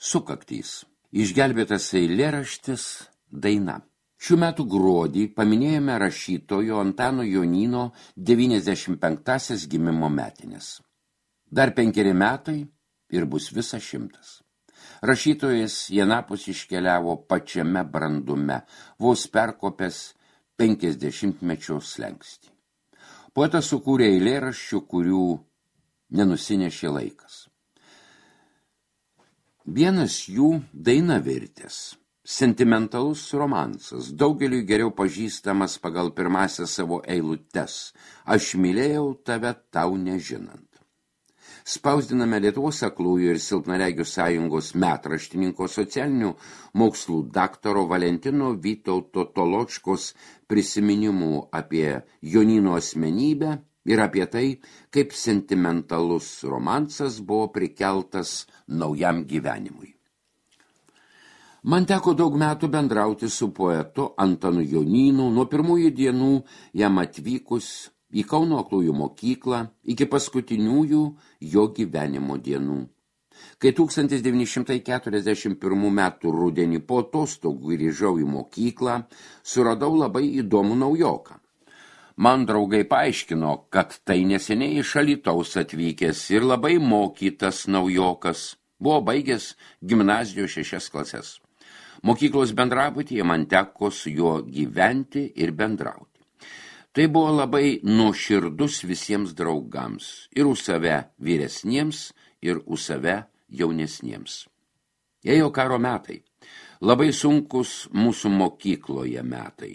Sukaktys. Išgelbėtas eilėraštis daina. Šių metų gruodį paminėjome rašytojo Antano Jonyno 95 gimimo metinės. Dar 5 metai ir bus visa 100. Rašytojas į anapus iškeliavo pačiame brandume, vos perkopęs 50-mečio slenkstį. Poetas sukūrė eilėraščių, kurių nenusinešė laikas. Vienas jų daina virtęs. Sentimentalus romansas, daugeliui geriau pažįstamas pagal pirmąsias savo eilutes. Aš mylėjau tave tau nežinant. Spausdiname Lietuvos aklųjų ir silpnaregių sąjungos metraštininko socialinių mokslų daktaro Valentino Vytauto Toločkos prisiminimų apie Jonyno asmenybę ir apie tai, kaip sentimentalus romansas buvo prikeltas naujam gyvenimui. Man teko daug metų bendrauti su poetu Antanu Jonynu, nuo pirmųjų dienų jam atvykus į Kauno aklųjų mokyklą iki paskutiniųjų jo gyvenimo dienų. Kai 1941 metų rudenį po atostogų grįžau į mokyklą, suradau labai įdomų naujoką. Man draugai paaiškino, kad tai neseniai iš Alytaus atvykęs ir labai mokytas naujokas, buvo baigęs gimnazijos 6 klases. Mokyklos bendrabutyje man teko su juo gyventi ir bendrauti. Tai buvo labai nuoširdus visiems draugams, ir už save vyresniems, ir už save jaunesniems. Ėjo karo metai, labai sunkus mūsų mokykloje metai.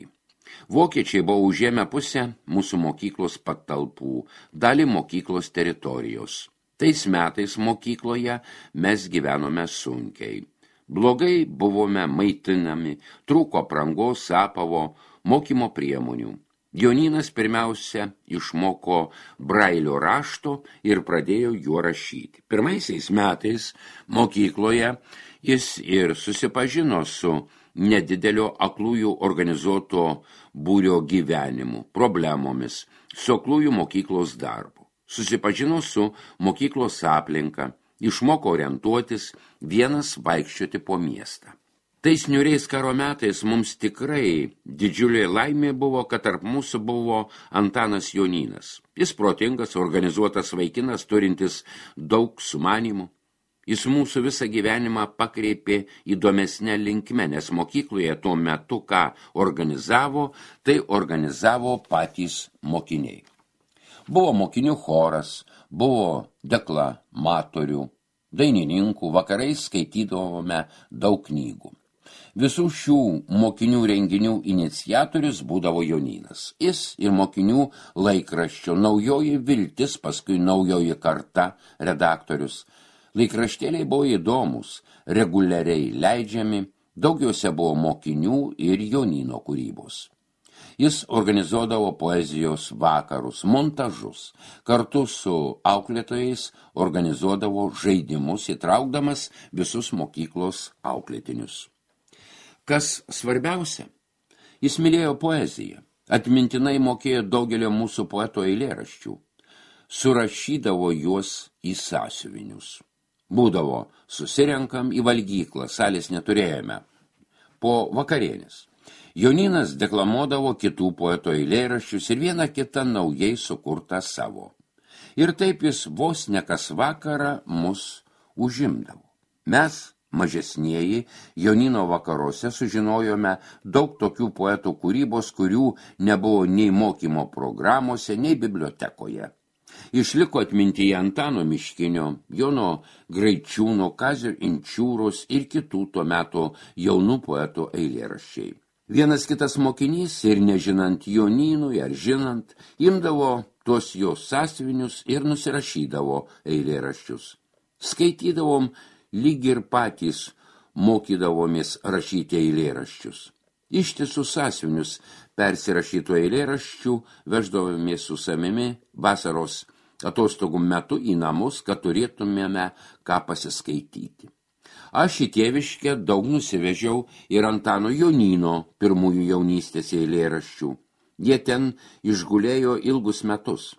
Vokiečiai buvo užėmę pusę mūsų mokyklos patalpų, dalį mokyklos teritorijos. Tais metais mokykloje mes gyvenome sunkiai. Blogai buvome maitinami, trūko aprangos, apavo, mokymo priemonių. Jonynas pirmiausia išmoko brailio rašto ir pradėjo juo rašyti. Pirmaisiais metais mokykloje jis ir susipažino su nedidelio aklųjų organizuoto būrio gyvenimu, problemomis, su aklųjų mokyklos darbu. Susipažino su mokyklos aplinka, išmoko orientuotis, vienas vaikščioti po miestą. Tais niūriais karo metais mums tikrai didžiulė laimė buvo, kad tarp mūsų buvo Antanas Jonynas. Jis protingas, organizuotas vaikinas, turintis daug sumanymų. Jis mūsų visą gyvenimą pakreipė įdomesnę linkme, nes mokykloje tuo metu, ką organizavo, tai organizavo patys mokiniai. Buvo mokinių choras, buvo deklamatorių, dainininkų, vakarais skaitydavome daug knygų. Visų šių mokinių renginių iniciatorius būdavo Jonynas. Jis ir mokinių laikraščio Naujoji viltis, paskui Naujoji karta redaktorius. Laikraštėliai buvo įdomus, reguliariai leidžiami, daugiausia buvo mokinių ir Jonyno kūrybos. Jis organizuodavo poezijos vakarus, montažus, kartu su auklėtojais organizuodavo žaidimus, įtraukdamas visus mokyklos auklėtinius. Kas svarbiausia, jis mylėjo poeziją, atmintinai mokėjo daugelio mūsų poeto eilėraščių, surašydavo juos į sąsiuvinius. Būdavo, susirenkam į valgyklą, salės neturėjome, po vakarienės. Jonynas deklamuodavo kitų poeto eilėraščius ir vieną kitą naujai sukurtą savo. Ir taip jis vos ne kas vakarą mus užimdavo. Mes, mažesnieji, Jonyno vakaruose sužinojome daug tokių poetų kūrybos, kurių nebuvo nei mokymo programuose, nei bibliotekoje. Išliko atmintyje Antano Miškinio, Jono Graičiūno, Kazio Inčiūros ir kitų tuo metu jaunų poetų eilėraščiai. Vienas kitas mokinys ir nežinant Jonynui ar žinant, imdavo tuos jo sąsiuvinius ir nusirašydavo eilėraščius. Skaitydavom lyg ir patys mokydavomės rašyti eilėraščius. Ištisus sąsiuvinius persirašytų eilėraščių veždavomės su savimi vasaros atostogų metu į namus, kad turėtumėme ką pasiskaityti. Aš į tėviškę daug nusivežiau ir Antano Jonyno pirmųjų jaunystės eilėraščių. Jie ten išgulėjo ilgus metus.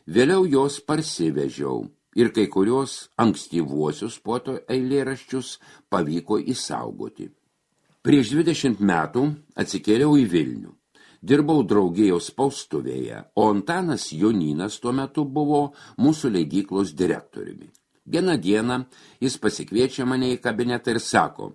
Vėliau jos parsivežiau ir kai kurios ankstyvuosius poeto eilėraščius pavyko išsaugoti. Prieš 20 metų atsikėliau į Vilnių. Dirbau draugijos spaustuvėje, o Antanas Jonynas tuo metu buvo mūsų leidyklos direktoriumi. Vieną dieną jis pasikviečia mane į kabinetą ir sako: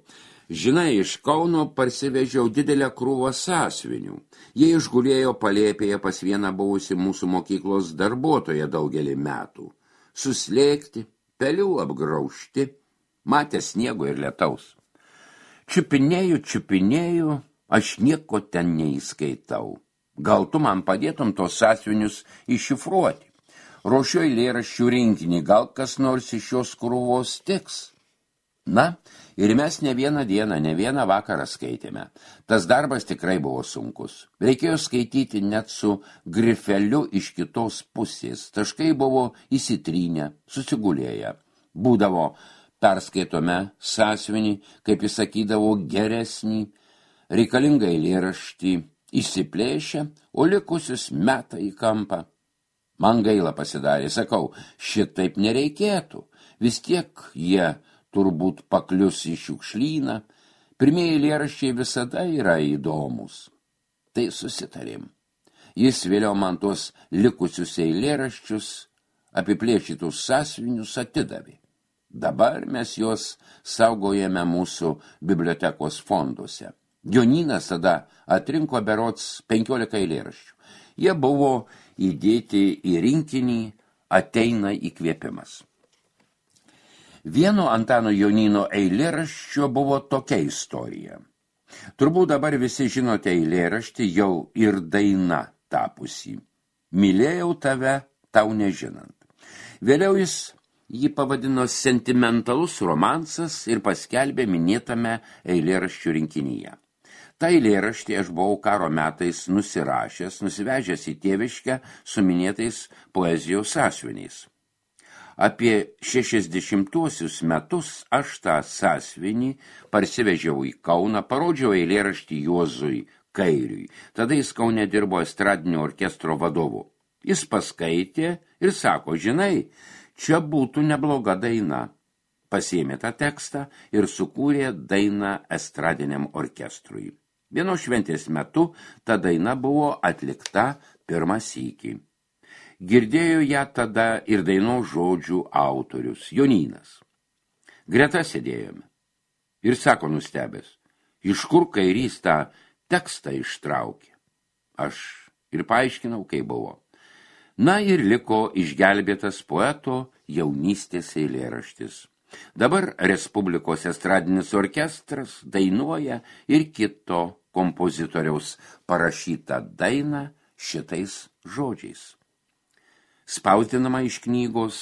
žinai, iš Kauno parsivežiau didelę krūvą sąsiuvinių. Jie išgulėjo palėpėje pas vieną buvusį mūsų mokyklos darbuotoją daugelį metų. Suslėgti, pelių apgraužti, matė sniego ir lietaus. Čiupinėju, aš nieko ten neįskaitau. Gal tu man padėtum tos sąsiuvinius iššifruoti? Ruošiu eilėraščių rinkinį, gal kas nors iš šios krūvos tiks? Na, ir mes ne vieną dieną, ne vieną vakarą skaitėme. Tas darbas tikrai buvo sunkus. Reikėjo skaityti net su grifeliu iš kitos pusės. Taškai buvo įsitrynę, susigulėję. Būdavo, perskaitome sąsiuvinį, kaip jis sakydavo, geresnį, reikalingą eilėraštį, išsiplėšę, o likusius meta į kampą. Man gaila pasidarė, sakau, šitaip nereikėtų. Vis tiek jie turbūt paklius į šiukšlyną. Pirmieji eilėraščiai visada yra įdomus. Tai susitarėm. Jis vėliau man tuos likusius eilėraščius, apiplėšytus sąsiuvinius atidavė. Dabar mes juos saugojame mūsų bibliotekos fonduose. Jonynas tada atrinko berods 15 eilėraščių. Jie buvo įdėti į rinkinį Ateina įkvėpimas. Vieno Antano Jonyno eilėraščio buvo tokia istorija. Turbūt dabar visi žinote eilėraštį, jau ir daina tapusi. Mylėjau tave, tau nežinant. Vėliau jis jį pavadino sentimentalus romansas ir paskelbė minėtame eilėraščių rinkinyje. Ta eilėraštį aš buvau karo metais nusirašęs, nusivežęs į tėviškę su minėtais poezijos sąsiuviniais. Apie 60-uosius metus aš tą sąsiuvinį parsivežiau į Kauną, parodžiau eilėraštį Juozui Kairiui. Tada jis Kaune dirbo estradinio orkestro vadovu. Jis paskaitė ir sako, žinai, čia būtų nebloga daina. Pasiėmė tą tekstą ir sukūrė dainą estradiniam orkestrui. Vienos šventės metu ta daina buvo atlikta pirmą sykį. Girdėjo ją tada ir dainos žodžių autorius, Jonynas. Greta sėdėjome. Ir sako nustebęs, iš kur Kairys tą tekstą ištraukė. Aš ir paaiškinau, kaip buvo. Na ir liko išgelbėtas poeto jaunystės eilėraštis. Dabar Respublikos estradinis orkestras dainuoja ir kito kompozitoriaus parašytą dainą šitais žodžiais. Spausdinama iš knygos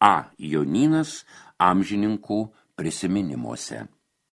A. Jonynas amžininkų prisiminimuose.